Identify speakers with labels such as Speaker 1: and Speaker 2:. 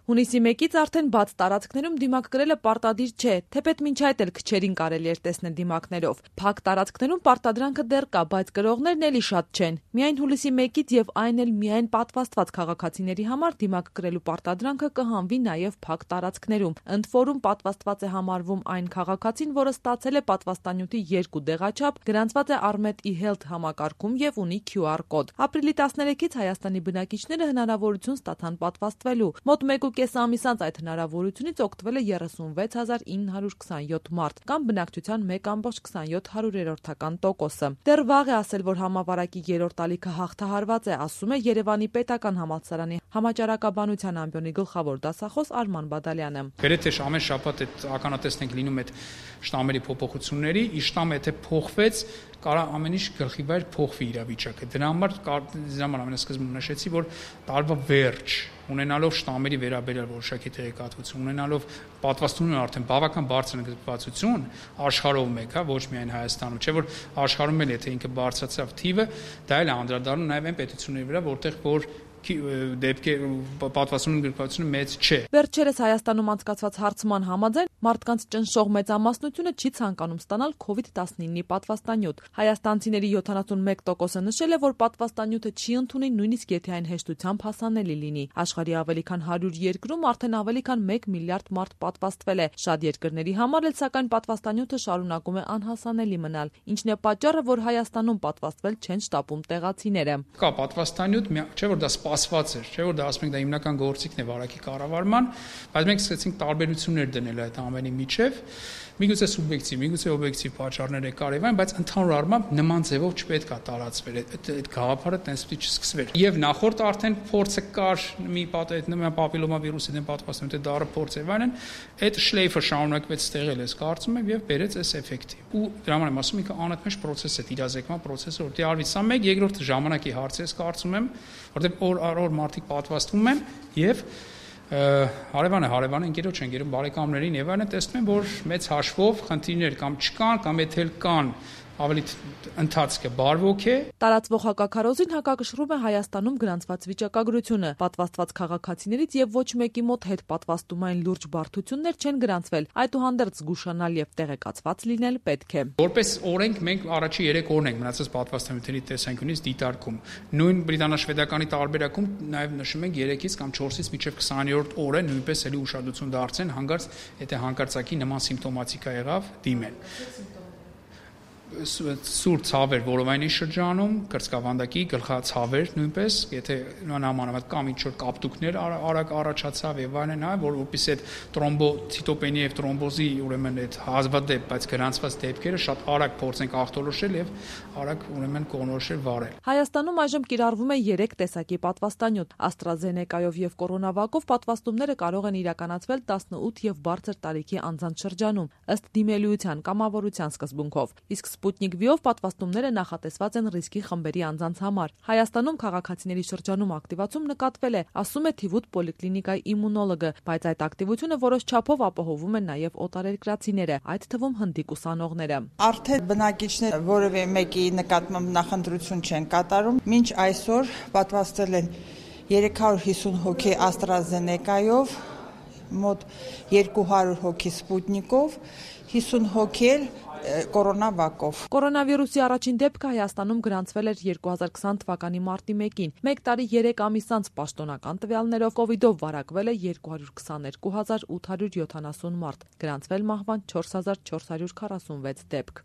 Speaker 1: Հունիսի 1-ից արդեն բաց տարածքներում դիմակ կրելը պարտադիր չէ, թեպետ մինչ այդ էլ քչերին կարելի էր տեսնել դիմակներով։ Փակ տարածքներում պարտադրանքը դեռ կա, բայց կրողներն էլի շատ չեն։ Միայն հուլիսի 1-ից եւ այն էլ միայն պատվաստված քաղաքացիների համար դիմակ կրելու պարտադրանքը կհանվի նաեւ փակ տարածքներում։ Ընդ որում պատվաստված է համարվում այն քաղաքացին, որը ստացել է պատվաստանյութի 2 դեղաչափ, գրանցված է Armet e-Health համակարգում եւ ունի QR կոդ։ Ապրիլի 13-ից Հայաստանի բնակիչները հնարավորություն ստացան պատվաստվելու։ Մոտ 1.5 ամիս անց այդ հնարավորությունից օգտվել է 36,927 մարդ, կամ բնակչության 1,27%-ը։ Դեռ վաղ է ասել, որ համավարակի 3-րդ ալիքը հաղթահարված է, ասում է Երևանի պետական համալսարանի համաճարակաբանության ամբիոնի գլխավոր դասախոս Արման Բադալյանը։
Speaker 2: Գրեթե ամեն շաբաթ այդ ականատեսն ենք լինում այդ շտամերի փոփոխությունների, իշտամը եթե փոխվեց, կարող ամեն ինչ գլխի վայր փոխվի իրավիճակը։ Դրա համար ամենասկզբում նշեցի, որ տարվա վերջ ունենալով շտամերի վերաբերյալ որոշակի տեղեկատվություն, ունենալով պատվաստումն արդեն բավական բարձր ընդգրկվածություն աշխարհով մեկ, ոչ միայն Հայաստանում, չէ՞ որ աշխարհում էլ եթե ինքը բարձրացավ թիվը, դա էլ է անդրադառնում նաև այն պետությունների վրա, որտեղ որ պատվաստումն ընդգրկվածությունը մեծ չէ։
Speaker 1: Վերջերս Հայաստանում անցկացված հարցման համաձայն մարդկանց ճնշող մեծամասնությունը չի ցանկանում ստանալ COVID-19-ի պատվաստանյութ։ Հայաստանցիների 71%-ը նշել է, որ պատվաստանյութը չի ընդունի, նույնիսկ եթե այն հեշտությամբ հասանելի լինի։ Աշխարհի ավելի քան 100 երկրում արդեն ավելի քան 1 միլիարդ մարդ պատվաստվել է։ Շատ երկրների համար էլ սակայն պատվաստանյութը շարունակում է անհասանելի մնալ, ինչն է պատճառը, որ Հայաստանում պատվաստվել չեն շտապում տեղացիները։
Speaker 2: Կա պատվաստանյութ, չէ՞ որ դա սպասված էր, չէ՞ որ դա ասում ենք դա հիմնական գործիքն է վարակի կառավարման, բայց մենք սկսեցինք տարբերություններ դնել այդ ամենի միջև, միգուցե սուբյեկտիվ, միգուցե օբյեկտիվ պատճառներ է կար եւ այն, բայց ընդհանուր առմամբ նման ձևով չպետք է տարածվեր, այդ գաղափարը տենց պիտի չսկսվեր։ Եվ նախորդ արդեն փորձը կար մի պապիլոմավիրուսի դեմ պատվաստանյութի դառը փորձ եւ այլն, այդ շլեյֆը շարունակվեց ստեղել ես կարծում եմ եւ բերեց այս էֆեկտի։ Ու դրա համար եմ ասում ինքը անընդմեջ process է, իրազեկման process-ը, որտեղ արվի սա մեկ, երկրորդ ժամանակի հարց է, կարծում եմ, որտեղ օր առ օր մարդիկ պատվաստվում են եւ հարևանը ընկերոջ ընկերում բարեկամներին եւ այլն տեսնում են, որ մեծ հաշվով խնդիրներ կամ չկան, կամ եթե կան ավելի ընթացքը բարվոք է։
Speaker 1: Տարածվող հակաքարոզին հակակշռում է Հայաստանում գրանցված վիճակագրությունը։ Պատվաստված քաղաքացիներից եւ ոչ մեկի մոտ հետ պատվաստումային լուրջ բարդություններ չեն գրանցվել, այդուհանդերձ զգուշանալ եւ տեղեկացված լինել պետք է։
Speaker 2: Որպես օրենք մենք առաջի 3 օրն ենք մնացած պատվաստանյութերի տեսանկյունից դիտարկում։ Նույն բրիտանա-շվեդականի տարբերակում նաեւ նշում ենք 3-ից կամ 4-ից մինչեւ 20-րդ օրը նույնպես էլի ուշադրություն դարձեն, հանկարծ եթե հանկարծակի նման սիմպտոմատիկա եղավ, դիմեն։ Սուր ցավեր որովայնի շրջանում, կրծքավանդակի գլխացավեր նույնպես, եթե նամանավանդ կամ ինչ-որ կապտուկներ արագ առաջացավ եւ այլն, որովհետեւ այդ տրոմբոցիտոպենիա եւ տրոմբոզի ուրեմն այդ հազվադեպ, բայց գրանցված դեպքերը շատ արագ փորձենք ախտորոշել եւ արագ ուրեմն կողմնորոշել վարել։
Speaker 1: Հայաստանում այժմ կիրառվում է 3 տեսակի պատվաստանյութ։ AstraZeneca-ով եւ կորոնավակով պատվաստումները կարող են իրականացվել 18 եւ բարձր տարիքի անձանց շրջանում, ըստ դիմելիության կամավորության սկզբունքով։ Իսկ Sputnik V-ով պատվաստումները նախատեսված են ռիսկի խմբերի անձանց համար։ Հայաստանում քաղաքացիների շրջանում ակտիվացում նկատվել է, ասում է Թիվուտ պոլիկլինիկայի իմունոլոգը, բայց այդ ակտիվությունը որոշ չափով ապահովում են նաև օտարերկրացիները, այդ թվում հնդիկ ուսանողները։
Speaker 3: Արդեն բնակիչները որևէ մեկի նկատմամբ նախընտրություն չեն կատարում։ Մինչ այսօր պատվաստել են 350 հոգի AstraZeneca-ով, մոտ 200 հոգի Sputnik-ով, 50 հոգի էլ կորոնավակով։
Speaker 1: Կորոնավիրուսի առաջին դեպքը Հայաստանում գրանցվել էր 2020 թվականի մարտի 1-ին։ 1 տարի 3 ամիս անց պաշտոնական տվյալներով կովիդով վարակվել է 222,870 մարդ, գրանցվել մահվան 4446 դեպք։